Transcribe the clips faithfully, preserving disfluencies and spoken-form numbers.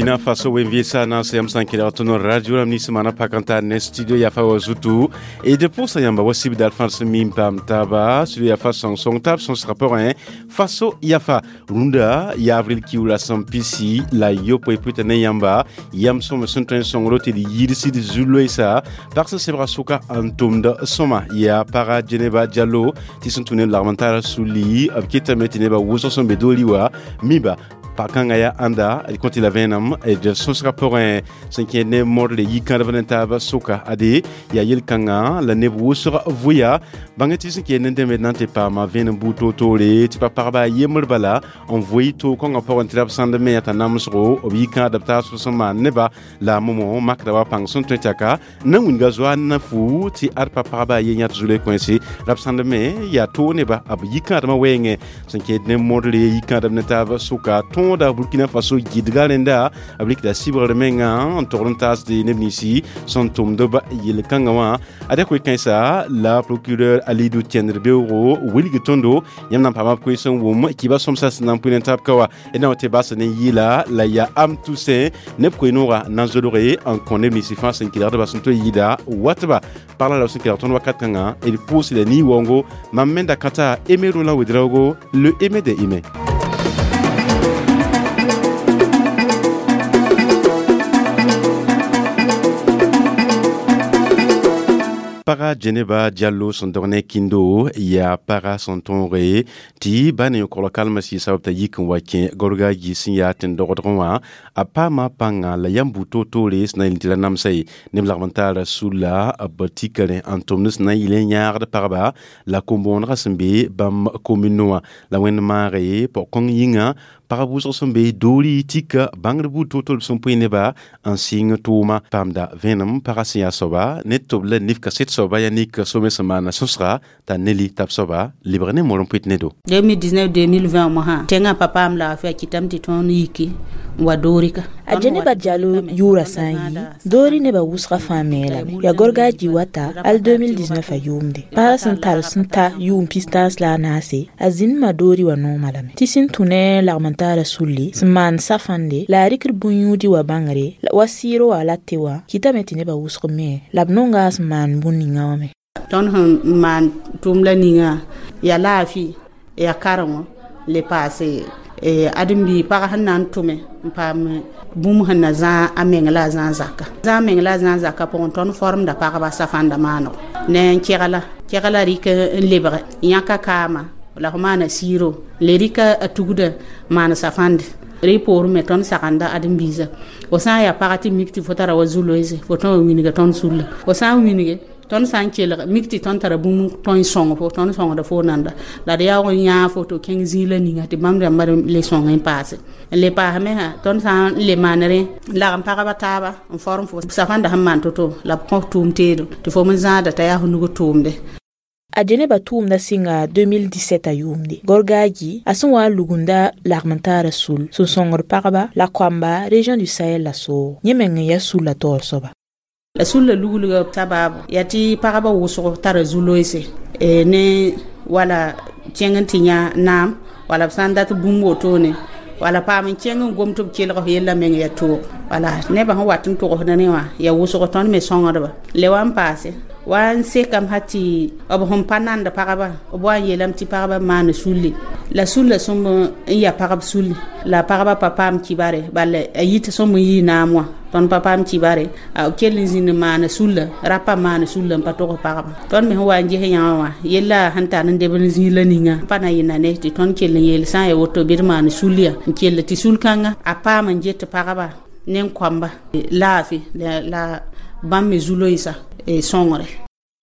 Burkina Faso wenviesa na sẽn yãmb sã n kelg tõnd radio rãmb nins maana pak n tar ne studio yafa wa zutu e d pʋʋsa yãmba wa sibdal fãa sẽn mi n paam taaba studio yafa sõng-sõng taab sõsgã pʋgẽ Faso yafa rũndã yaa avril kiuula sẽn pisi la yopoe pʋɩta ne yãmba yam sõm sẽn tõe n sõngro tɩ d yidsd zu-loeesa pag sẽn sebga sʋka n tʋmd sõma yaa paga Djeneba Diallo tɩ sẽn tũ ne lagm n tara suli b ketame tɩ nebã wʋsg sẽn be doori wa miba pakãngã yaa ãnda d kõ tɩ la vẽenem d sõsgã pʋgẽ sẽn kẽed ne modle yikãadb ne taab sʋka ade yaa yel-kãngã la neb wʋsg vʋya bãng tɩ sẽn kẽed ne dẽmd na n tɩ paama vẽenem buud toor-toore tɩ pa pagba a yembr bala n vʋɩ toog-kõngã pʋgẽ tɩ ra b sãnd me t'a namsgo b yikãadb taab sẽn maan neba la a momo makda wa pãng sẽn tõe tɩ na n wilga zoa na fu tɩ ad pa pagba a ye yãt zu-loe kõense ra b sãnd me yaa toog neba b yikãadmã wɛɛngẽ sẽn kẽed ne modre yikãadb ne taab sʋka tõoda Burkina Faso gɩdga rẽnda b rɩkda sɩbgr menga n togd n taasde neb ninsi sẽn tʋmd b yel-kãngã wã ada koe-kãensa la procureur Alidou Tiendr beoogo wilg tõndo yãmb na n paama b koees n wʋm kiba sõmsã sẽn na n pʋɩ ne taab ka wa d na wa tɩ bas ne yɩɩla la yaa am Toussaint neb koe-noogã na n zodge n kõ neb ninsi fãa sẽn kelgdba sẽn tõe n yɩɩda watba pagla la b sẽn kelg tõnd wakat kãngã d pʋʋsda nii-waoongo mam me da kãta Aimé Roland Ouédraogo le Aimé des humains. Paga Djeneba Diallo sẽn dog ne kĩndo yaa paga sẽn tõoge tɩ ba ne yõkogl kalmã sɩɩ sabab t'a yik n wa kẽ gorgaaji sẽn yaa tẽn-dogdgẽ wã a paama pãnga la yãmb buud toor-toore sẽn na n yel tɩ ra namsa ye neb lagm n taara sulla b tika rẽ n tʋmd sẽn na n yɩl n yãagd pagba la kom-bõonegã sẽn be bãmb komino wã la wẽnd maage pog-kõng yĩnga pagb wʋsg sẽn be doori tika bãngd buud toor-toor b sẽn pʋɩ neba n sɩng tʋʋma paamda vẽenem pagã sẽn yaa soaba ne tʋb la nif kaset soaba yaa nik some sẽn maana sõsga t'a neli tab soaba lebg ne mor n pʋɩt ne do deux mille dix-neuf deux mille vingt mosã tẽngã pa paam laafɩ a kɩtame tɩ tõnd yiki n wa doori ka a Djeneba Diallo yʋʋra sã n yi doori nebã wʋsgã fãa me lame yaa gorgaaji wata al deux mille dix-neuf a yʋʋmde pagã sẽn tar sẽn ta yʋʋm pis-tãas la a naase a zĩndmã doori wã noomã lame tɩ sẽn tũ ne lagm n taara sulli sẽn maan safãnde la a rɩkd bũn-yũudi wa bãngre wa sɩɩro wã la tɩ wã kɩtame tɩ nebã wʋsg me la b nonga a sẽn maan bũn ninga wã me tõnd sẽn maan tʋʋm la ninga yaa laafɩ yaa karengo le paase ãdem-biig pag sẽn na n tʋme n paam bũmb sẽn na zãag a meng la a zãag zaka zãag meng la a zãag zaka pʋgẽ tõnd formda pagba safãnda maanego ne n kegla kegla rɩk n lebge yãka kaama la f maana siiro le rɩka a tugda maan safãnde rɩ poorẽ me tõnd sagenda ãdem-biisã fo sã n yaa paga tɩ mik tɩ fo tara wa zu-loeese fo tõe wa wilga tõnd sulla fo sã n wilge tõnd sã n kelg mik tɩ tõnd tara bũmb tõe n sõng fo tõnd sõngda fo nanda la d yaoog n yãag fo tɩ kẽng zĩig la ninga tɩ bãmb rãmbã le sõng n paase n le paasme sã tõnd sã n le maan rẽ lagm pagba taaba n form fo safãnda sẽn maan to-to la b kõ tʋʋm teedo tɩ fo me zãada t'a yaa f nug tʋʋmde a Djeneba tʋʋmda sɩnga deux mille dix-sept a yʋʋmde gorgaaji a sẽn wa n lugunda lagm n taara sul sẽn sõngd pagba la koamba région du Sahel la soog yẽ meng n yaa sulla taoor soaba la sulla luglga sababu yaa tɩ pagba wʋsg tara zu-loeese ne wala kẽng n tɩ yã naam wala b sã n dat bũmb wotone wala paam n kẽng n gom tɩ b kelg f yella meng yaa toog wala nebã sẽn wat n togsd ne wã yaa wʋsg tõnd me sõngdba le wa n paase wa n sekame sã tɩ b sẽn pa nand pagba b wa n yeelame tɩ pagba maan sulli la sulla sõmb n yaa pagb sulli la pagba pa paam kibare bala a yit sõmb n yii naam wã tõnd pa paam kibare b kell n zĩnd n maana sulla rapa maana sulla n pa tog pagba tõnd me sẽn wa n ges yãwã wã yella sẽn tar n deb n zĩig la ninga pa na yɩ na ne tɩ tõnd kell n yeel sã n yaa woto bɩ d maan sul ya n kell tɩ sul-kãngã a paam n get pagba ne n koamba laafɩ la bãmb me zu-loeesa sõngre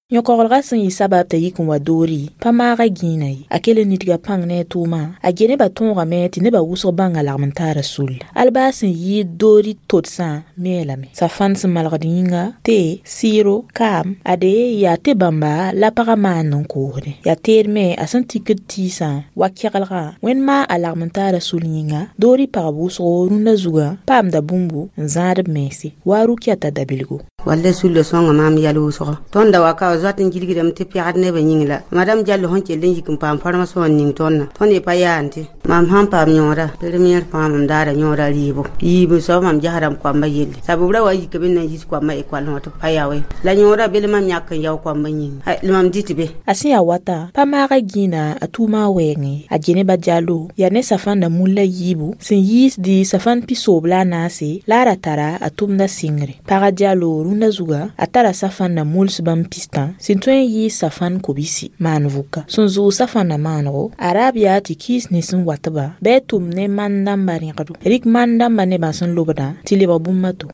yõkoglgã sẽn yɩ sabab t'a yik n wa doori pa maaga gĩinã ye a kell n nidga pãng ne a tʋʋmã a Djeneba tõogame tɩ nebã wʋsg bãnga lagm n taara sulla al baa sẽn yɩɩd doori todsã me lame safãnd sẽn malgd yĩnga te sɩɩro kaam ade yaa tɩ bãmba la pagã maand n koosdẽ yaa teed me a sẽn tikd tiisã wa keglgã wẽnd maa a lagm n taara sul yĩnga doori pagb wʋsgo rũndã zugã paamda bũmbu n zãad b mense wa Rukiata dabilgo walla sulla sõnga maam yɛl wʋsgo tõnd da wa ka wa zoat n gilgdame tɩ pɛgd nebã yĩng la madame Diallo sẽn kell n yik n paam formation n ning tõndã tõnd ye pa yaande mam sãn paam yõoda première fãa mam daara yõoda rɩɩbo yiib soab mam gesda m koamba yelle sabʋb ra wa yikame n na n yis koambã ekɔl wã tɩ pa yaoe la yõoda bel mam yãk n yao koambã yĩnga la mam dɩt be a sẽn yaa wata pa maaga gĩinã a tʋʋmã wɛɛngẽ a Djeneba Diallo yaa ne safãnda mulla yiibu sẽn yiisdi safãn pisoob la a naase la a ra tara a tʋmda sɩngre paga Diallo rũndã zuga a tara safãnda muls bãmb pistã sẽn tõe n yɩɩs safãn kobisi maan vʋka sẽn zʋʋg safãnda maanego a raab yaa tɩ kiis nins n watba bɩ a tʋm ne man-dãmbã rẽgdo rɩk man-dãmbã nebã sẽn lobdã tɩ lebg bũmb a to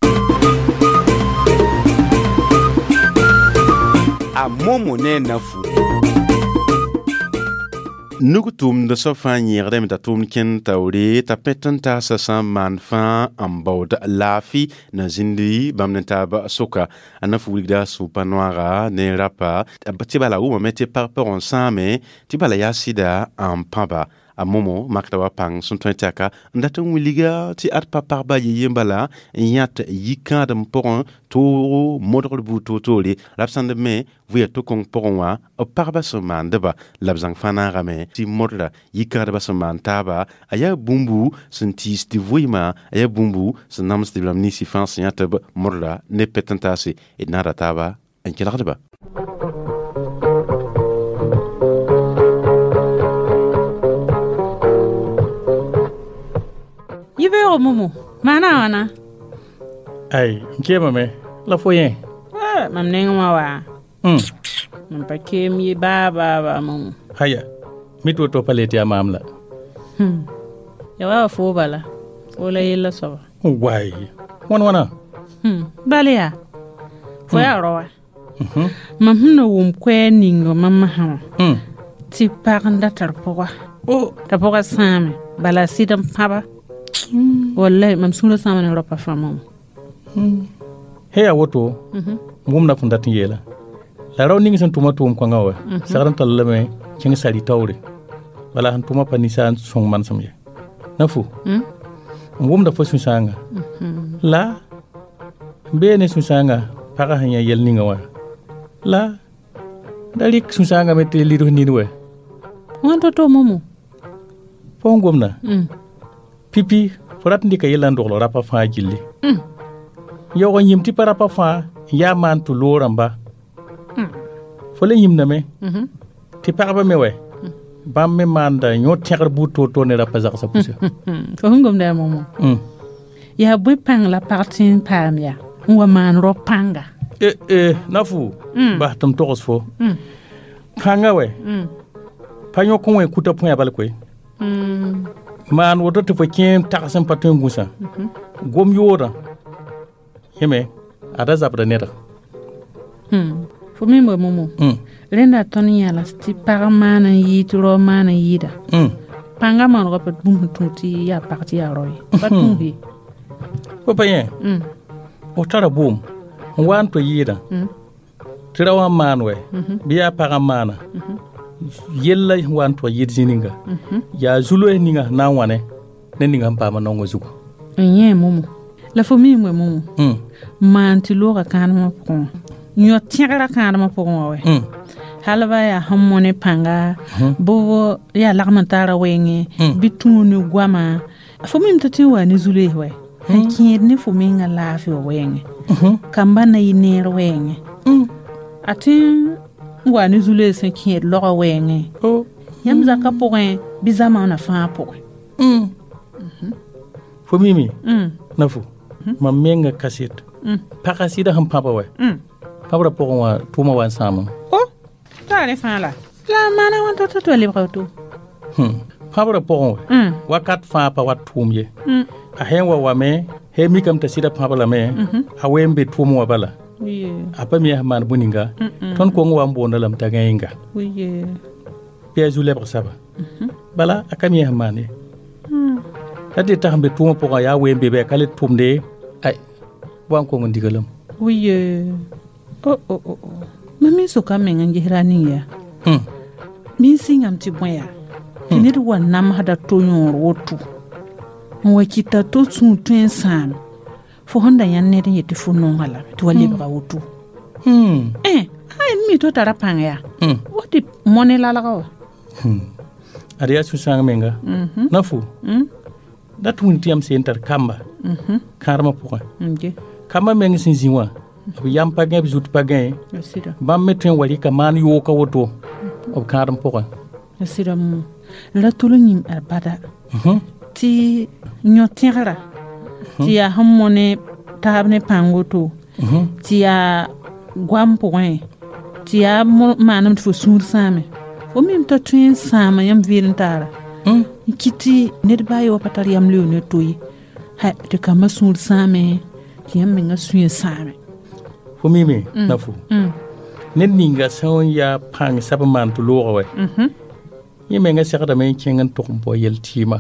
a Momo ne nafu Nug tʋʋmd soab fãa yẽegdame t'a tʋʋmd kẽnd taoore t'a pẽt n taasa sã n maan fãa n baood laafɩ na zĩndi bãmb ne taab soka a na fu wilgda sũ-pa noaga ne rapa tɩ bala wʋmame tɩ pag pʋgẽ sãame tɩ bala yaa sɩda n pãba a Momo makda wa pãng sẽn tõe tɩ aka n dat n wilga tɩ ad pa pagba ye yen bala n yãt yikãadem pʋgẽ toogo modgr buud toor-toore la b sãnd me vʋya to-kõng pʋgẽ wã b pagba sẽn maandba la b zãng fãa naagame tɩ modra yikãadba sẽn maan taaba a yaa bũmbu sẽn tiis tɩ vʋɩɩmã a yaa bũmbu sẽn namsd b rãmb ninsi fãa sẽn yã tɩ b modra ne pet n taase d naada taaba n kelgdba Yibeogo Momo maana a wãna ai n keemame la fo yẽ mam neng wã wa mm. mam pa keem ye baa baa baa Momo haya mi tɩ woto pa le tɩ yaa maam la hmm. ya wa fo bala fo la yella soaba wai wãn wãna hmm. bala yaa fo yaa raoa mam sẽn na wʋm koɛɛg ninga mam masã wã mm. tɩ pag n da tar pʋga oh. t'a pʋga sãame bala sɩd n pãba wallahi mam sũurã sãama ne raopa fãa Momo he yaa woto n wʋmda fõn dat n yeela la rao ning sẽn tʋma tʋʋm kõngã wa segd n tall lame kẽng sari taoore bala sẽn tʋma pa ninsaar n sõng manesem ye na fu n wʋmda fo sũ-sãanga la n bee ne sũ-sãanga pagã sẽn yã yɛl ninga wã la da rɩk sũ-sãanga me tɩ lids nin wɛ wãn to-to Momo fo sẽn gomda pipi fo rat n dɩka yella n dogl rapa fãa gilli yaoog n yĩm tɩ pa rapa fãa n yaa maan tɩ loog rãmba fo le yĩmdame tɩ pagba me wɛ bãmb me maanda yõ tẽgr buud toor-toor ne rapa zagsã pʋsa fo sẽn gomda yaa Momo yaa bõe pãng la pag tẽ n paam yaa n wa maan rao pãnga na fu bas tɩ m togs fo pãnga wɛ pa yõk n wẽ kuta põe bal koe maan woto tɩ fo kẽ n tags n pa tõe n gũsã gom yoodã yẽme a da zabda neda fo me wa Momo rẽnda tõnd yãla tɩ pag maan n yɩɩ tɩ rao maan n yɩɩda pãngã maanegã pa bũmb sẽn tũ tɩ yaa pag tɩ yaa rao ye pa tũus ye fo pa yẽ f tara bʋʋm n wa n to yɩɩdã tɩ ra wã n maan wɛ bɩ yaa pag n maana yella sẽn wa n tʋg yɩɩd zĩ ninga yaa zu-loees ninga sẽn na n wãne ne ninga sẽn paama naongã zugu n yẽ Momo la fo miime Momo maan tɩ looga kãadmã pʋgẽ wã yõ tẽgrã kãadmã pʋgẽ wã wɛ hal ba yaa sẽn mõ ne pãnga bʋ yaa lagm n taara wɛɛngẽ bɩ tũu ne goama fo mim tɩ tɩ n waa ne zu-loees wɛ sẽn kẽed ne fo menga laafɩ wã wɛɛngẽ kamba na yɩ neer wɛɛngẽ a tɩ n waa ne zu-loees sẽn kẽed laoga wɛɛngẽ yãmb zakã pʋgẽ bɩ zamaanã fãa pʋgẽ fo mimi na fo mam menga kaset pagã sɩda sẽn pãba wɛ pãbrã pʋgẽ wã tʋʋmã wa n sãamame o t'a rẽ fãa la la a maana wãn to tɩ wa lebga woto pãbrã pʋgẽ wɛ wakat fãa pa wat tʋʋm ye a sẽn wa wame he mikame t'a sɩda pãb lame a wee n be tʋʋm wã bala a pa mi sẽn maan bũ-ninga tõnd kong wa n boonda lame t'a gãenga bɩ a zu-lebg saba bala a ka mi sẽn maan ye la tɩ t'a sẽn be tʋʋmã pʋgã yaa wee n be bɩ a ka le tʋmde ay wa n kong n diga lame wiye oh oh oh mam me soka meng n gesra ning yaa min sɩngame tɩ bõe yaa tɩ ned wa namsda to yõor woto n wa kɩta to sũur tõe n sãame fo sẽn da yãnd ned n yet tɩ fo nonga lame tɩ wa lebga woto eh ay mi to tara pãng yaa wa tɩ mõne lalga wa ad yaa sũ-sãang menga na fo da tɩ wĩnd tɩ yãmb seen tar kamba kãadmã pʋgẽ kamba meng sẽn zĩ wã b yam pa gãe b zut pa gãe bãmb me tõe n wa rɩka maan yooka woto b kãadem pʋgẽ sɩda mo ra tol n yĩm ad bada tɩ yõ-tẽgra tɩ yaa sẽn mõne taab ne pãng woto tɩ yaa goam pʋgẽ tɩ yaa maanem tɩ fo sũur sãame fo mim t'a tõe n sãama yãmb vɩɩl n taara n kɩ tɩ ned baa ye wa pa tar yam leo ne to ye tɩ kambã sũur sãame tɩ yãmb mengã sũyã sãame fo mime na fo ned ninga sẽn yaa pãng sab n maan tɩ looga wɛ yẽ menga segdame n kẽng n tʋg n bao yel-tɩɩmã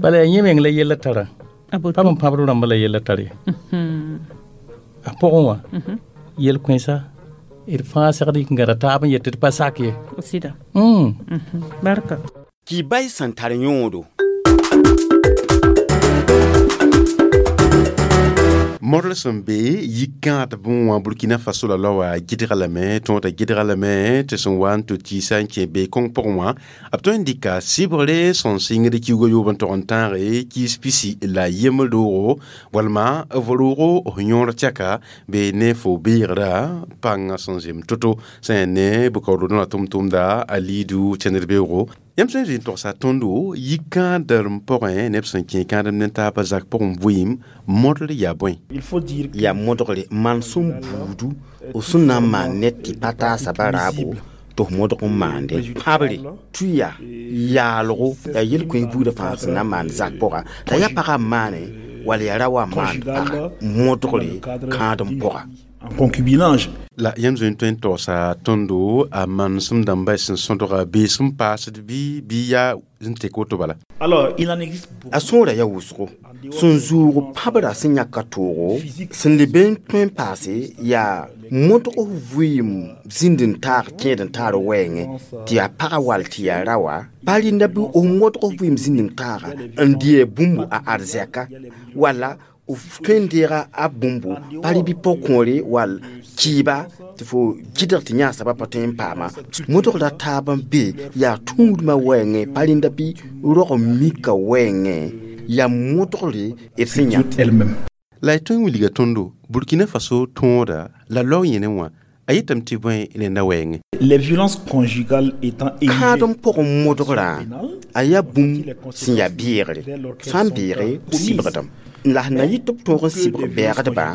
bala yaa yẽ meng la yella tara pa b pãbd rãmba la yella tar ye a pʋgẽ wã yel-kõensa d fãa segd yik n gãda taab n yet tɩ d pa sak ye sɩda barka Kibay sẽn tar yõodo Model sẽn be yikãad bõe wã Burkina Faso la laoa gɩdga lame tõog t'a gɩdga lame tɩ sẽn wa n tɩ tiisa n kẽ be kõng pʋgẽ wã b tõe n dɩka sɩbgre sẽn sɩngd kiuga yoob n tog n tãage kiis pisi la yembr roogo walma f roogo f yõor tɛka be ne fo beegra pãngã sẽn zem to-to sẽn yaa ne bʋkaood la tʋm-tʋmda a liidu tẽndr beoogo yãmb sẽn zĩ n togsa tõndo yikãadrem pʋgẽ neb sẽn kẽ kãadem ne taabã zak pʋgẽ vɩɩm modl yaa bõe yaa modgre manesem buudu f sẽn na n maan ned tɩ pa taasa ba raabo tɩ f modg n maande pãbre tuya yaalgo yaa yel-kõ buudã fãa sẽn na n maan zak pʋga t'a yaa pagã n maane wala yaa ra wa n maand paga modgre kãadem pʋga en concubinage. La yãmb zoe n tõe n taoosa tõndo a manesem dãmba sẽn sõdga bee sẽn paasd bɩ bɩ yaa n tek woto bala. Alors, il en existe beaucoup. A sõora yaa wʋsgo sẽn zʋʋg pãbrã sẽn yãk ka toogo sẽn leb n tõe n paase yaa modg vɩɩm zĩnd n taag kẽed n taar wɛɛngẽ tɩ yaa pagã wall tɩ yaa ra wa pa rɩnda bɩ f modg vɩɩm zĩnd n taaga n dɩ bũmb a arzɛka wala f tõe n deega a bũmbu pa rɩ bɩ pʋg-kõore wall kɩɩba tɩ fo gɩdg tɩ yã soabã pa tõe n paama modgda taab n be yaa tũudmã wɛɛngẽ pa rẽnda bɩ rog n mika wɛɛngẽ yaa modgre d sẽn yã elle-même. La y tõe n wilga tõndo Burkina Faso tõoda la lao yẽne wã a yetame tɩ bõe rẽnda wɛɛngẽ Les violences conjugales étant kãadem pʋgẽ modgrã a yaa bũmb sẽn yaa beegre sã n beege sɩbgdame la sẽn na yɩ tɩ b tõog n sɩbg bɛɛgdbã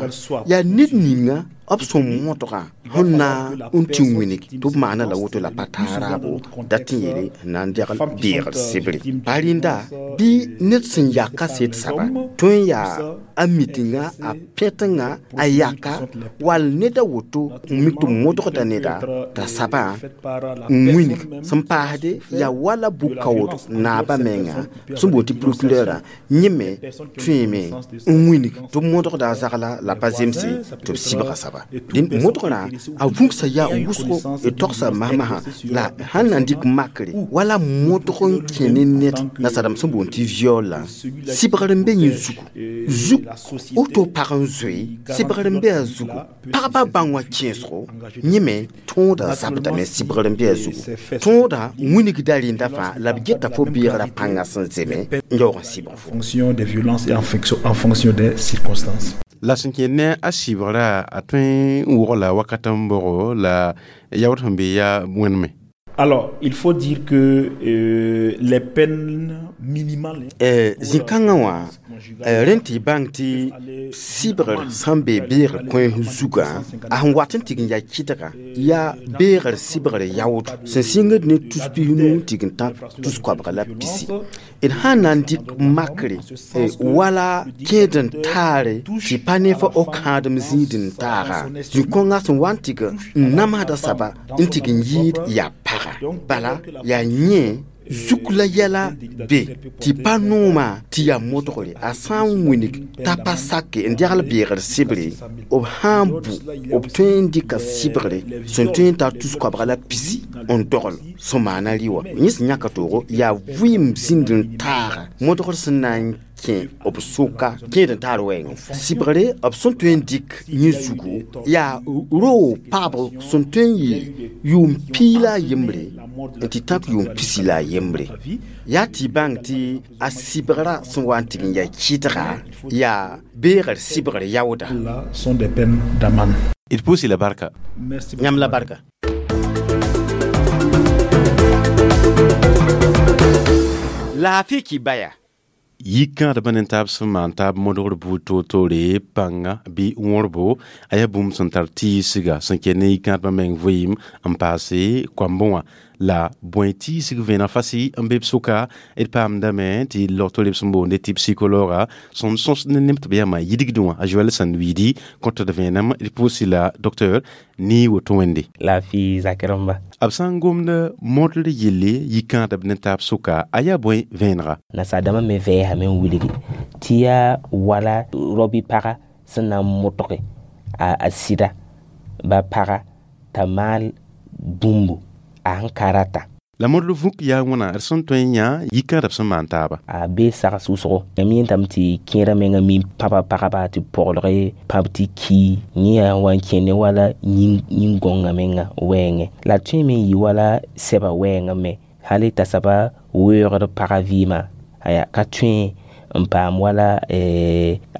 yaa ned ninga b sẽn modgã sẽn na n tɩ wĩnig tɩ b maana la woto la pa taa raabo dat tɩ n yeele n na n degl beegr sɩbre pa rẽnda bɩ ned sẽn yak kaset saba tõe n yaa a mitinga a pẽtenga a yaka wall ned a woto n mik tɩ modgda neda t'a sabã n wĩnig sẽn paasde yaa wala bʋ-kaood naabã menga sẽn boond tɩ procureurã yẽ me tõeme n wĩnig tɩ b modgda a zagla la pa zemse tɩ b sɩbga saba dẽn modgrã a vũgsa yaa wʋsgo d togsa masmasã la sãn na n dɩk makre wala modg n kẽ ne ned nasadame sẽn boond tɩ viol la sɩbgr n be yẽ zugu zug woto pag n zoe sɩbgr n be a zugu pagba bãng wã kẽesgo yẽ me tõoda zabdame sɩbgr n be a zugu tõoda wĩnigda rẽnda fãa la b geta fo beegrã pãngã sẽn zeme n yaoog n sɩbg fo fonction des violences et en fonction, en fonction des circonstances. La sẽn kẽ ne a sɩbgrã a tõe n wogla wakat n boogo la yaood sẽn be yaa wẽneme Alors, il faut dire que euh, les peines minimales zĩ-kãngã wã rẽnd tɩ y bãng tɩ sɩbgr sãn be beegr kõ zugã a sẽn wat n tɩg n yaa kɩdga yaa beegr sɩbgr yaood sẽn sɩngd ne tus pis-nu n tɩg n tã tus koabga la pisi d sãn na n dɩk makre wala kẽed n taare tɩ pa ne fa f kãadem zĩid n taaga zĩ-kõngã sẽn wa n tɩg n namsda saba n tɩg n yɩɩd yaa paga bala yaa yẽ zuk la yɛla be tɩ pa noomã tɩ yaa modgre a sã n wĩnig t'a pa sake n degl beegr sɩbre b sã n bu b tõe n dɩka sɩbgre sẽn tõe n tar tus koabga la pisi n dogl sẽn maana rɩ wã yẽ sẽn yãka toogo yaa vɩɩm zĩnd n taaga modgr sẽn na n kẽ b sʋka kẽed n taar wɛɛngẽ sɩbgre b sẽn tõe n dɩk yẽ zugu yaa roog pagb sẽn tõe n yɩ yʋʋm piig la a yembre n tɩ tãk yʋʋm pisi la a yembre yaa tɩ y bãng tɩ a sɩbgrã sẽn wa n tɩg n yaa kɩdga yaa beegr sɩbgr yaooda. Sont des peines d'amende. D pʋʋs-y la barka. Yãmb la barka. Laafɩ kɩ baya. Yikãadbã ne taab sẽn maan taab modgr buud toor-toore pãnga bɩ wõrbo a yaa bũmb sẽn tar tɩɩsga sẽn kell ne yikãadbã meng vɩɩm n paase koambõ wã la bõe tɩɩsg vẽeneg fasɩ n be b sʋka d paamdame tɩ log-toore b sẽn boonde tɩ psikologa sẽn sõs ne neb tɩ b yama yidgdẽ wã a Joɛl Sãn-wiidi kõt d vẽenem d pʋʋs la docteur nii woto wẽnde. Laafɩ zakr-rãmba. B sã n gomd modr yelle yikãadb ne taab sʋka a yaa bõe vẽenega. Nasaar-dãmbã me vɛɛsame n wilgi tɩ yaa wala rabi paga sẽn na n modge a sɩda ba paga t'a maal bũmbu a sẽn ka rata. La modr vũk yaa wãna d sẽn tõe n yã yikãadb sẽn maan taaba. A bee sags wʋsgo yãmb yẽntame tɩ kẽerã menga mi pãba pagba tɩ poglge pãb tɩ ki yẽ yaa wa n kẽ ne wala yĩn-gõngã menga wɛɛngẽ la tõe me n yɩ wala sɛba wɛɛngã me hal t'a soaba weoogd pagã vɩɩmã aya ka tõe n paam wala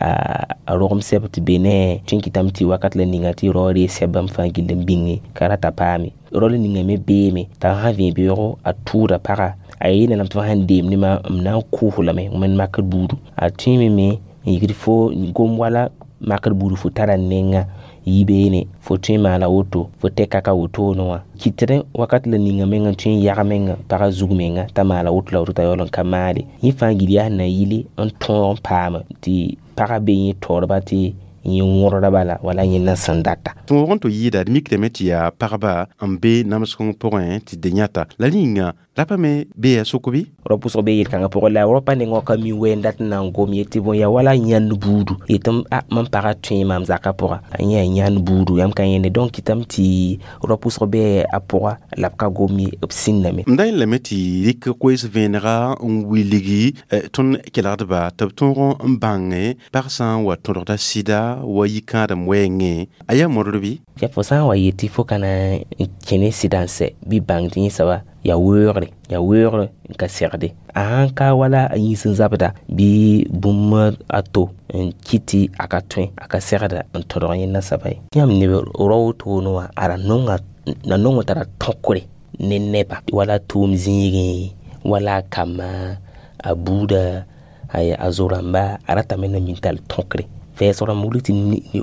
a rogem sɛb tɩ be ne tõe n kɩtame tɩ wakat la ninga tɩ rao rees sɛb bãmb fãa gill n bĩnge ka rata paame rao la ninga me beeme t'a sã vẽ beoogo a tʋʋda paga a yeelame tɩ fo sãn deem ne ma m na n kʋʋs lame wẽnd makr buudu a tõeme me n yikd fo gom wala makr buudu fo tara nenga yi beene fo tõe n maana woto fo tɛka ka wotone wã kɩtdẽ wakat la ninga menga tõe n yag menga pagã zug menga t'a maala woto la woto t'a yaool n ka maale yẽ fãa gill yaa sẽn na yɩle n tõog n paama tɩ pagã be yẽ taoorba tɩ yẽ wõrda bala wala yẽ na sẽn data. Tõog n tɩ yɩɩda d mikdame tɩ yaa pagba n be namsg pʋgẽ tɩ de yãta la rĩnga rapa me bee a sʋk bɩ? Rao pʋsg bee yel-kãngã pʋgẽ la rao pa nengã ka mi wɛɛn dat n na n gom yetɩ bõe yaa wala yãnd buudu yetɩ a mam pagã tõe maam zakã pʋga a yẽ yaa yãnd buudu yãmb ka yẽnde donc kɩtame tɩ rao pʋsg bee a pʋga la b ka gom ye b sĩndame. M da yẽlame tɩ rɩk koees vẽenega n wilgi tõnd kelgdba tɩ b tõog n bãnge pag sã n wa tõdgda sɩda wa yikãadem wɛɛngẽ a yaa modr bɩ? Ya fo sã n wa yetɩ fo ka na n kẽ ne sɩda n sɛ bɩ bãng tɩ yẽ soaba yaa weoogre yaa weoogre n ka segde a sãn ka wala a yĩns n zabda bɩ bũmb a to n kɩt tɩ a ka tõe a ka segda n tõdg yẽ nasaba ye yãmb neb rao wotone wã a ra nonga na nong tara tõkre ne neba wala tʋʋm zĩigẽ wala a kamba a buuda a zo-rãmba a ratame na min tall tõkre vɛɛsg rãmb wilg tɩ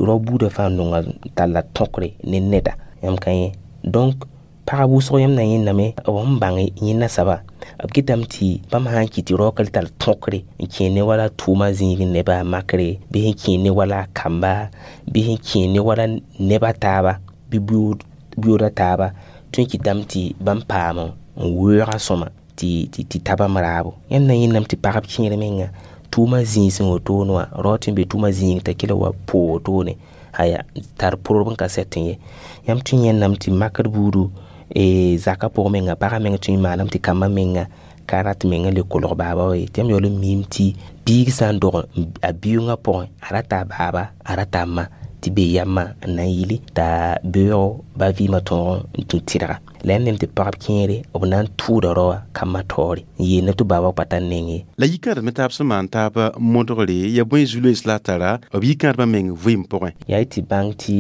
rao buudã fãa nonga talla tõkre ne neda yãmb ka yẽ donc pagb wʋsg yãmb na yẽndame b sẽn bãng yẽ nasaba b kɩtame tɩ bãmb sã n kɩt tɩ raoka tall tõkre n kẽ ne wala tʋʋma zĩigẽ neba a makre bɩ sẽn kẽ ne wala a kamba bɩ sẽn kẽ ne wala neba taaba bɩ buooda taaba tõe n kɩtame tɩ bãmb paam n weooga sõma tɩ tɩ ta bãmb raabo yãmb na yẽndame tɩ pagb kẽer menga tʋʋma zĩig sẽn wotone wã rao tɩ n be tʋʋma zĩig t'a kell wa poo wotone aya tar pʋrb n ka sɛt n ye yãmb tõe n yẽndame tɩ makr buudu zakã pʋgẽ menga pagã meng tõe n maaname tɩ kambã menga ka rat menga le kolg baaba wa ye tɩ yãmb yaool n miim tɩ biig sã n dog a biʋngã pʋgẽ a rata a baaba a rata a ma tɩ be yamã n na n yɩle t'a beoogo ba vɩɩmã tõog n tũ tɩrga la yãmb nem tɩ pagb kẽere b na n tʋʋda raoã kambã taoore n yeelna tɩ baaba pa tar neng ye. La yikãadb me taab sẽn maan taab modgre yaa bõe zu-loees la a tara b yikãadbã meng vɩɩm pʋgẽ. Yaa y tɩ bãng tɩ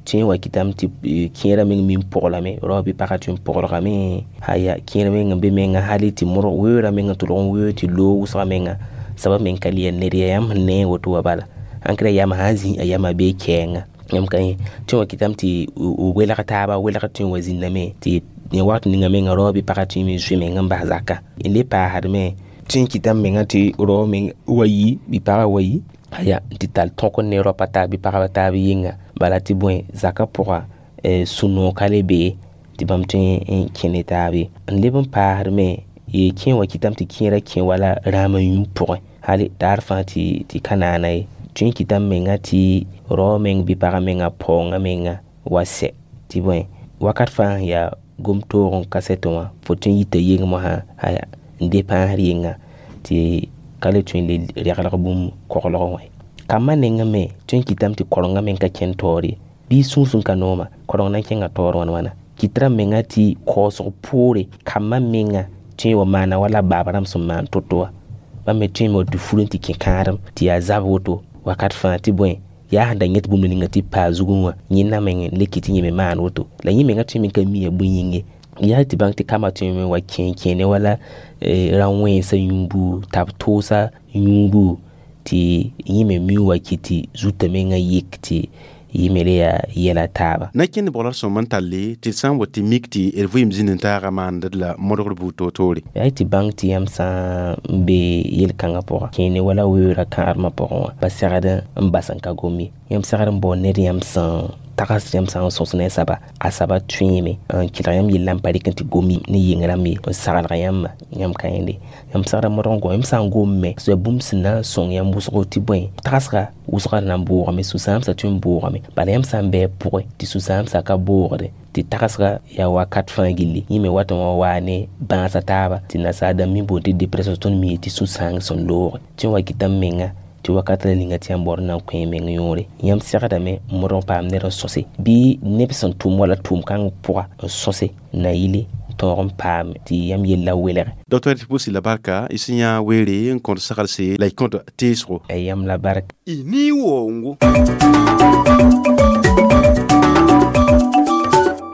tõe n wa kɩtame tɩ kẽerã meng min poglame rao bɩ pagã tõe n poglgame aya kẽer meng n be menga hal tɩ modg weoorã meng n tʋlg n weoog tɩ loog wʋsgã menga soaba meng ka le yaa ned yaa yãmb sẽn ne woto wã bala ãnkra yama sã n zĩ a yama bee kɛɛnga yãmb ka yẽ tõe n wa kɩtame tɩ welg taaba welg tõe n wa zĩndame tɩ ne wakat ninga menga rao bɩ pagã tõe me zoe meng n bas zaka n le paasdme tõe n kɩtame menga tɩ rao meng wa yi bɩ pagã wa yi aya tɩ tall tõk n ne raopa taab bɩ pagba taab yɩnga bala tɩ bõe zakã pʋga sũ-noog ka le bee tɩ bãmb tõe n kẽ ne taab ye n leb n paasdme ye kẽ wa kɩtame tɩ kẽerã kẽ wala rãam yũ pʋgẽ hal daar fãa tɩ tɩ ka naana ye tõe n kɩtame menga tɩ rao meng bɩ pagã menga paoongã menga wa sɛ tɩ bõe wakat fãa sẽn yaa gom toog n ka sɛtẽ wã fo tõe n yita yeng mosã aya n de pãasr yɩnga tɩ Ka le tõe n le reglg bũmb koglgẽ wã ye. Kambã nengẽ me tõe n kɩtame tɩ korengã meng ka kẽnd taoor ye. Bɩ sũur sẽn ka nooma koreng na n kẽnga taoor wãn wãna. Kɩt rãmb menga tɩ kaoosg poore kambã menga tõe n wa maana wala baab rãmb sẽn maan to-to wã. Bãmb me tõe n wa tɩ fur n tɩ kẽ kãadem tɩ yaa zab woto wakat fãa tɩ bõe yaa sẽn da yẽt bũmb ninga tɩ paa zugẽ wã yẽnda meng n le kɩ tɩ yẽ me maan woto. La yẽ menga tõe me ka mi bõe yĩng ye. Yaa tɩ bãng tɩ kambã tõe me wa kẽ kẽene wala rã-wẽnsã yũubu t'a b toosa yũubu tɩ yẽ me mi wa kɩ tɩ zutã menga yik tɩ yẽ me le yaa yɛla taaba. Na kẽnd bʋgl sõm n talle tɩ d sã n wa tɩ mik tɩ d vɩɩm zĩnd n taaga maandd la modgr buud toor-toore. Yaa tɩ bãng tɩ yãmb sã n be yel-kãngã pʋga kẽene wala weoora kãadmã pʋgẽ wã pa segd n bas n ka gom ye. Yãmb segd n bao ned yãmb sẽn tags yãmb sã n sõs ne a saba a saba tõeeme n kɩlg yãmb yellã n pa rɩk n tɩ gom ne yɩng rãmb ye n saglg yãmba yãmb ka yẽnde. Yãmb segd n modg n gom yãmb sã n gom me ya bũmb sẽn na n sõng yãmb wʋsgo tɩ bõe tagsga wʋsga na n boogame sũ-sãamsã tõe n boogame. Bala yãmb sã n bɩ pʋgẽ tɩ sũ-sãamsã ka boogde tɩ tagsga yaa wakat fãa gilli yẽ me wat n wa waa ne bãasa taaba tɩ nasaar dãmb mi boond tɩ dépression tõnd mi tɩ sũ-sãang sẽn looge tɩ n wa kɩta m menga tɩ wakat la ninga tɩ yãmb baood n na n kõ y meng yõore. Yãmb segdame n modg n paam ned n sõse bɩ neb sẽn tʋm wala tʋʋm kãng pʋga n sõse na yile tõog n paam tɩ yãmb yella welge. Docteur tɩ pʋʋs la barka y sẽn yã weere n kõt saglse la y kõt teesgo. Yãmb la barka. Y ni-woongo.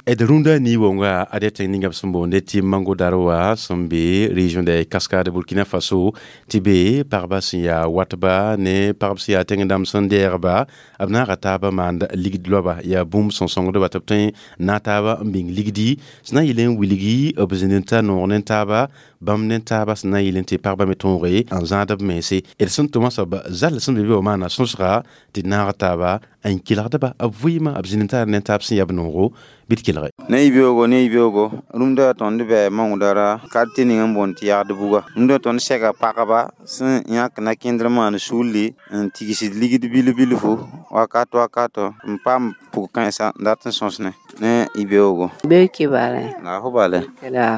D rũndã ni-woongã ad yaa tẽng ninga b sẽn boonde tɩ Mangodar wã sẽn be région de Cascade Burkina Faso tɩ be pagba sẽn yaa watba ne pagb sẽn yaa tẽng dãmb sẽn dɛɛgba b naaga taabã maand ligd loaba yaa bũmb sẽn sõngdba tɩ b tõe n naag taaba n bĩng ligdi sẽn na n yɩl n wilgi b zĩnd n ta noog ne taaba bãmb ne taaba sẽn na n yɩl n tɩ pagba me tõoge n zãad b mense. D sẽn tʋma soab zall sẽn be be wã maana sõsga tɩ naag taaba n kelgdba b vɩɩmã b zĩnd n tar ne taab sẽn yaa b noogo bɩ d kelge. Ne yibeoogo ne yibeoogo rũndã tõnd bɩ Mangodara quartier ning n boond tɩ yagd buga. Rũndã tõnd sɛga pagba sẽn yãk na-kẽndr maan sulli n tigsd ligd bil-bilfu wakat wakato n paam pʋg-kãensa n dat n sõsne ne yibeoogo. Be kibale. La fo bale. La.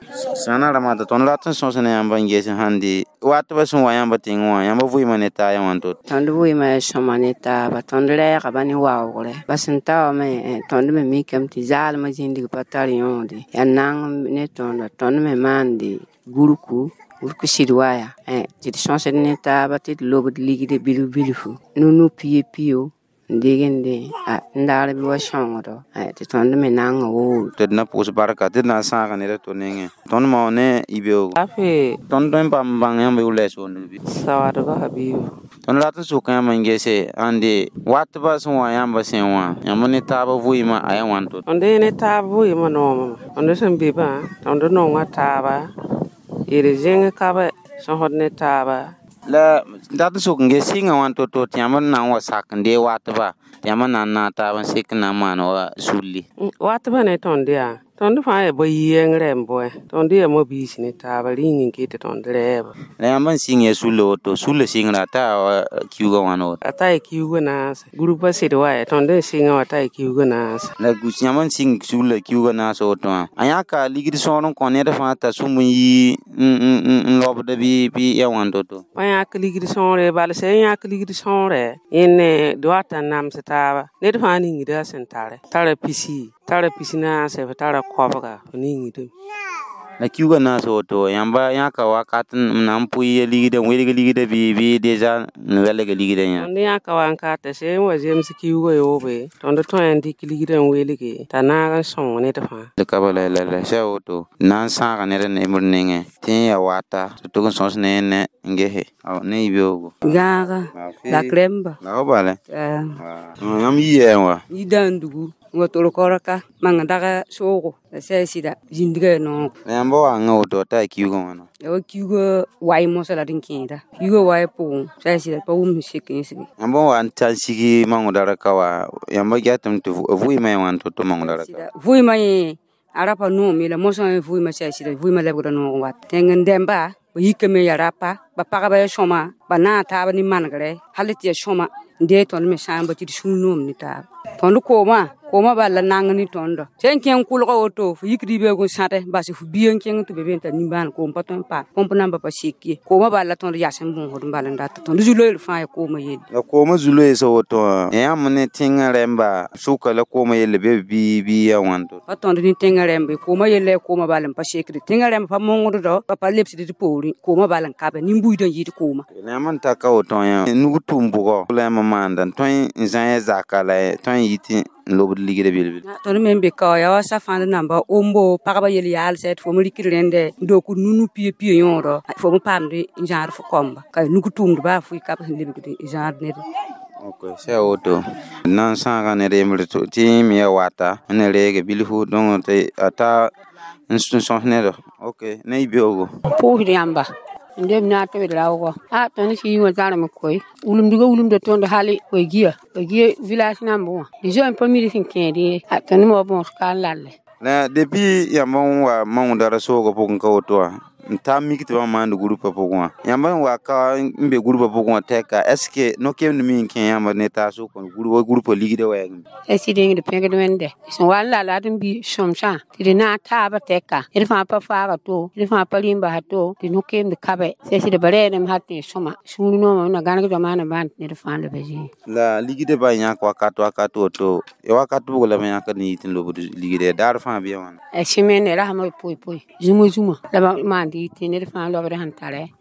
Sãna ramata tõnd rat n sõs ne yãmb n ges sãn de watba sẽn wa yãmb tẽngẽ wã yãmb vɩɩmã ne taa yã wãn to. Tõnd vɩɩmã yaa sõma ne taaba tõnd rɛɛgba ne waoogre ba sẽn ta wã me tõnd me mikame tɩ zaalmã zĩndg pa tar yõode yaa nang ne tõnda tõnd me maande gurku gurku sɩd waya tɩ d sõsd ne taaba tɩ d lobd ligd bilf bilfu nu-nu pia pio n degende n daar bɩ wa sõngdo tɩ tõnd me nanga woore. Tɩ d na pʋʋs barka tɩ d na n sãag ned a to nengẽ. Tõnd mao ne yibeoogo. Tõnd tõe n paam n bãng yãmb yʋ lɛs wonde bɩ. Sawadba habibu. Tõnd rat n sok yãmb n gese ãnde watba sẽn wa yãmb sẽn wã yãmb ne taab vɩɩmã a yaa wãn to. Tõnd ne taab vɩɩmã noomame tõnd sẽn be bã tõnd nonga taaba yel zẽng ka bɛ sẽn sẽd ne taaba. La dat n sok n ges sɩngã wãn to-to tɩ yãmb n na n wa sak n dee watba tɩ yãmb n na n naag taab n sek n na n maan wa sulli. Watbã ne tõnd yaa tõnd fãa yaa ba-yi-yɛngr n bõe tõnd yaa mobiis ne taaba rĩng n ket tɩ tõnd rɛɛba. La yãmb n sɩng ya sulla woto sulla sɩngra a taa wa kiuugã wãn woto. A taa kiuugã naase gurupã sɩd wa ya tõnd n sɩngã wã taa kiuugã naase. La yãmb n sɩng sulla kiuugã naas woto wã a yãka ligd sõor n kõ ned fãa t'a sũmb n yi n lobda bɩ bɩ ya wãn to-to. Pa yãk ligd sõore bala sã n yãk ligd sõore yẽne d wat n nams taaba ned fãa ningda a sẽn tare tara pisi tara pisi naase f tara koabga f ningdame. La kiuugã naas woto yãmba yãka wakat n na n pʋɩ ya ligdã n welg ligdã bɩ bɩ deza n welg ligdã yã. Tõnd yãka wankata sã n wa zems kiuugã yoobe tõnd tõe n dɩk ligdã n welge t'a naag n sõng ned fãa. D ka bala la la sã woto na n sãaga ned nemd nengẽ tɩ n yaa wata tɩ tʋg n sõs ne ne n gese ne yibeoogo. Gãaga la kremba. La fo bale. Yãmb yɩ yɛɛ wã. Yidãndugu n wa tol korka manga daga soogo la sã sɩda zĩndga yaa noogo. La yãmb wanga woto t'a kiuugã wãna. Ya wa kiuugã wai mosã la d n kẽeda kiuugã wai pʋgẽ sã sɩda pa wʋm sẽn sek n sigi. Yãmb n wa n ta n sigi Mangodara ka wã yãmb gatame tɩ vɩɩmã yaa wãn to-to Mangodara ka. Vɩɩmã yẽ a ra pa noome la mosã vɩɩmã sã sɩda vɩɩmã lebgra noog wat tẽng n dɛmba ba yikame yaa rapa ba pagba yaa sõma ba naag taaba ne manegre hal tɩ yaa sõma n dee tõnd me sãamba tɩ d sũur noom ne taaba. Tõnd koomã Koomã bal la nang ne tõndo sẽn kẽng kʋlga woto fo yik ribɛoog n sãde bas f bia n kẽng tɩ be be n tar nimbãan koom pa tõe n paam põmp namba pa sek ye koomã bal la tõnd yas n bõosd n bal n data tõnd zu-loeer fãa ya koomã yelle la koomã zu-loeesã woto wã yãmb ne tẽngã rẽmba sʋka la koomã yelle be bɩ bɩ ya wãn to pa tõnd ne tẽngã rẽmba koomã yella ya koomã bal n pa sekde tẽngã rẽmba pa mongddo pa pa lebsd d poorẽ koomã bal n kabe nin-buiidã n yɩɩd koomã la yãmb n ta ka woto yã nug tʋʋm bʋgɔ la yãmb maanda n tõe n zã zaka la tõe n yɩ tɩ n lobd ligdã bil-bil tõnd me n be ka yaa wa safãnd namba ombo pagba yel yaalsɛ tɩ fo me rɩkd rẽndɛ n dook nu-nu pia pia yõodɔ fo me paamd n zãad fo kɔmba ka nug tʋʋmd baa fo y kab sẽn lebgd n zãad ned. Ok, sã woto na n sãaga ned yembre tɩ yẽ me ya wata n na reege bilfu donc tɩ a ta n sõs nedɔ. Ok, ne y beoogo. Pʋʋsd yãmba n leb na tɩ b raoogɔ a tõnd sɩ wã zãrem koe wulumdgã wulumda tõnd hali koe gia koe gia village namba wã dɩ zoe n pa mid sẽn kẽed ye a tõnd me wa bõos ka n lalle. La depuis yãmb n wa maoonda ra-soogã pʋgẽ ka woto wã n ta mik tɩ bãmb maand groupa pʋgẽ wã yãmb n wa ka n be groupa pʋgẽ wã tɛka est ce que no-kemd me n kẽ yãmb ne taas wa groupa ligdã wɛɛgẽ sɩd yẽngd pẽgd wẽnde sẽn wa n lala d n bi sõmsã tɩ d na n taaba tɛka d fãa pa faaga to d fãa pa rĩm basa to tɩ no-keemd kabe sɩd ba rɛɛdame hal tɩ sõma sũur noomã na gãneg dõma na bãnd ned fãa la ba zĩig la ligdã ba yãk wakat wakat woto ya wakat bʋg la b yãkd n yɩ tɩ n lobd ligdã daar fãa bɩ ya wãna sẽmende rasmã b poe poe zũma zũma la ba maand tɩ ned fãa lobd sẽn tare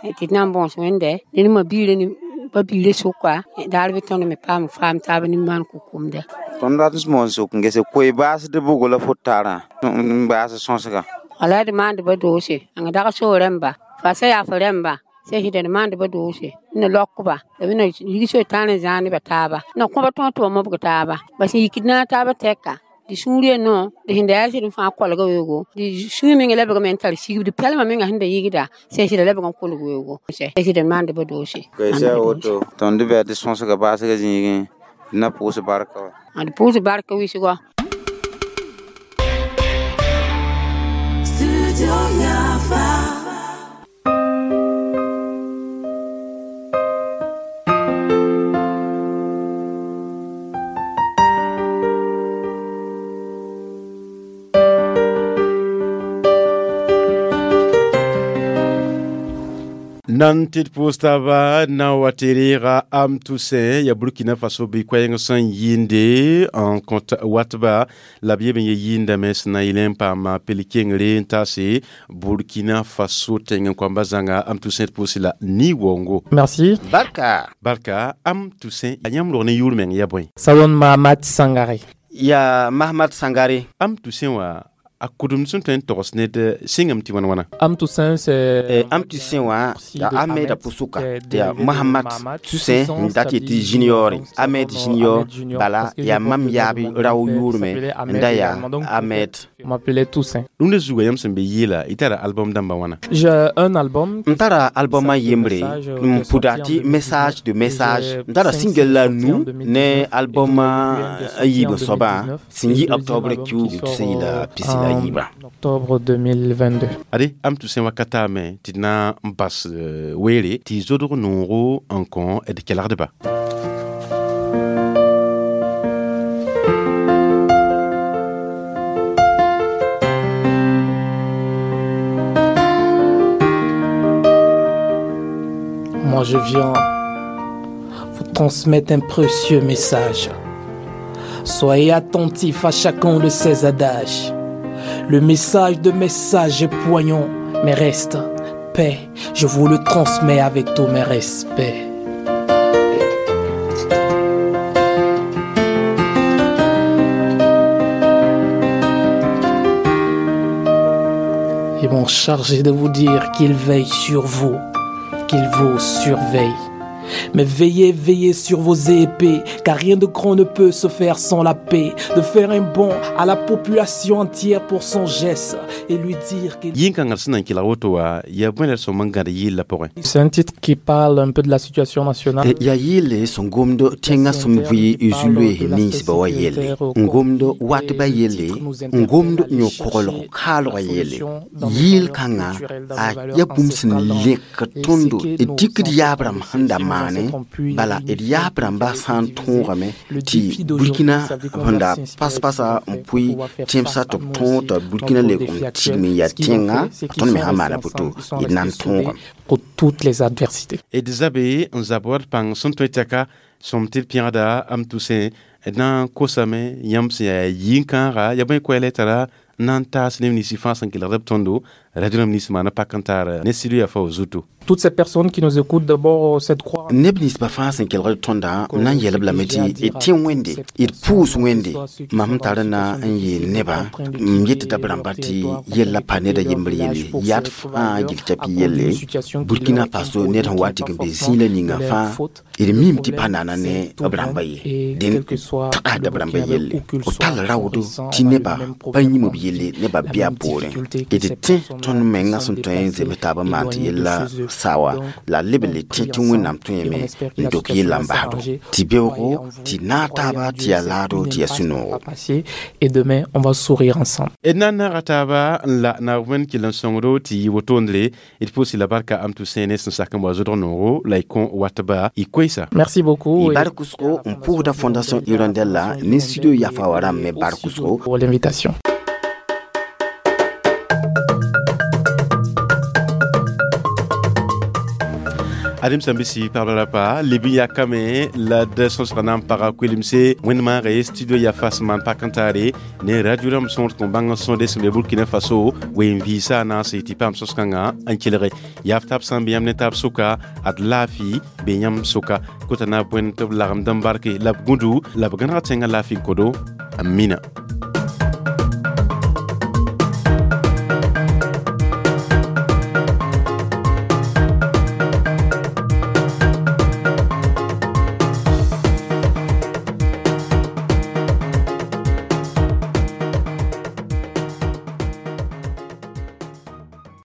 tɩ d na n bõos wẽnde ned ma biirã pa biirã sʋka daar bɩ tõnd me paam faam taab nimbãan ko-komda. Tõnd rat n moon sʋk n gese koe baasd bʋgo la fo tarã n baas sõsga wala d maand ba doose ãng dag soo rẽmba fasa yaa fo rẽmba sẽn d maand ba doose n na lɔkba la b na lig so tãar n zãag neba taaba na kõba tõog tɩ wa mobg taaba ba sẽn yikd na taaba tɛka di sũur no di sẽn da yaa sɩd n fãa kolga weoogo di sũur menga lebgame n tar sigb di pɛlmã menga sẽn da yɩgda sẽn sɩda lebg n kolg weoogo sɩd n maand ba doose. Sã woto tõnd bɩ tɩ sõsga baasgã zĩigẽ na pʋʋs barka wa d pʋʋs barka wɩsgɔ. Nan tɩ d pʋʋs taaba na wa tɩ reega Am Toussaint ya Burkina Faso bɩ koɛɛng sẽn yɩɩnde n kõt watba la b yeb n ye yɩɩndame sẽn na yɩl n paama pel-kengre n taase Burkina Faso tẽng n koamba zãnga Am Toussaint d pʋʋsɩ la ni-waoongo. Merci. Barka. Barka Am Toussaint a yãmb rog ne yʋʋr meng ya bõe? Ça donne Mahamat Sangare. Ya Mahamat Sangare. Am Toussaint wã a kudum sẽn tõe n togs ned sɩngame tɩ wãn wãna. Am Toussaint c'est Am Toussaint wã yaa Ahmed a pʋsʋka tɩ yaa Mahamat Toussaint n dat yetɩ Junior Ahmed Junior bala yaa mam yaab rao yʋʋrme n da yaa Ahmed. On m'appelait Toussaint. Rũndã zuga yãmb sẽn be yɩɩla y tara album dãmba wãna? J'ai un album. N tara album a yembre n pʋda tɩ message de message n tara single la nu ne album a yiib soabã sẽn yi octobre kiuug tɩ sẽn yɩla pisi la yiibã. Octobre deux mille vingt-deux. Ade Am Toussaint wakata me tɩ d na n bas weere tɩ zodg noogo n kõ d kelgdba. Moi je viens vous transmettre un précieux message. Soyez attentifs à chacun de ces adages. Le message de message est poignant, mais reste paix. Je vous le transmets avec tous mes respects. Ils m'ont chargé de vous dire qu'il veille sur vous, qu'il vous surveille. Mais veillez, veillez sur vos épées, car rien de grand ne peut se faire sans la paix. De faire un bond à la population entière pour son geste et lui dire qu'il... C'est un titre qui parle un peu de la situation nationale. Ya yelle sẽn gomd tẽngã sẽn vɩ zu-loees ninsbã wã yelle n gomd watbã yelle n gomd yõ-koglg kaalgã yelle yɩɩl kãngã a ya bũmb sẽn lẽk tõndo d dɩkd yaab rãmb sẽn da maan maane bala d yaab rãmba sã n tõogame tɩ Burkina sẽn da pas-pasa n pʋɩ tẽmsã tɩ b tõog t'a Burkina leb n tigm n yaa tẽnga tõnd me sã maana poto d na n tõogame. Pour toutes les adversités. D zabe n zab wat pãng sẽn tõe tɛka sõm tɩ d pẽgda am tʋsẽ d na n kosame yãmb sẽn yaa yĩn-kãaga ya bõe koɛɛla tara n na n taas neb nins fãa sẽn kelgd b tõndo radio rãmb nins maana pak n tar ne studio yaa fa zuto. Toutes ces personnes qui nous écoutent, d'abord, cette croix. Neb ninsbã fãa sẽn kelgd tõndã m na n yɛl-b lame tɩ d tẽ Wẽnde, d pʋʋs Wẽnde. Mam tar na n yeel nebã n yet t'a b rãmba tɩ yella pa ned a yembr yelle yad fãa gill t'a yelle Burkina Faso ned sẽn wa n tɩg n be zĩila ninga fãa d mim tɩ pa nana ne b rãmba ye dẽn tagsda b rãmba yelle b tall raoodo tɩ nebã pa yĩm b yelle nebã bɩ a poorẽ d tẽ tõnd menga sẽn tõe n zems taab n maan tɩ yella sawa la leb n le tẽ tɩ Wẽnnaam tõeme n dok yella n basdo tɩ beoogo tɩ naag taaba tɩ yaa laado tɩ yaa sũ-noogo. Et demain, on va sourire ensemble. D na n naaga taaba n la naab wẽnd kell n sõngdo tɩ yɩ wotondre d pʋʋs la barka am tʋ sẽene sẽn sak n wa zʋdg noogo la y kõ watba y koɛɛsa. Merci beaucoup. Y bark wʋsgo n pʋʋsda Fondation Hirondelle la ne studio yafa wã rãmb me bark wʋsgo. Pour l'invitation. Adem sãn bɩ pagb la pa leb n yakame la d sõsga na n paga koelemse wẽnd maage studio yaa fas maan pak n taare ne radio rãmb sõor tɩ bãng n sõde sẽn be Burkina Faso wen vɩɩsa na n se tɩ paam sõs-kãngã n kelge yaaf tab sã n be yãmb ne taab sʋka ad laafɩ be yãmb sʋka kota na bõe tɩ b lagmd n barke la b gũdu la b gãneg tẽngã laafɩ n kodo. Amina.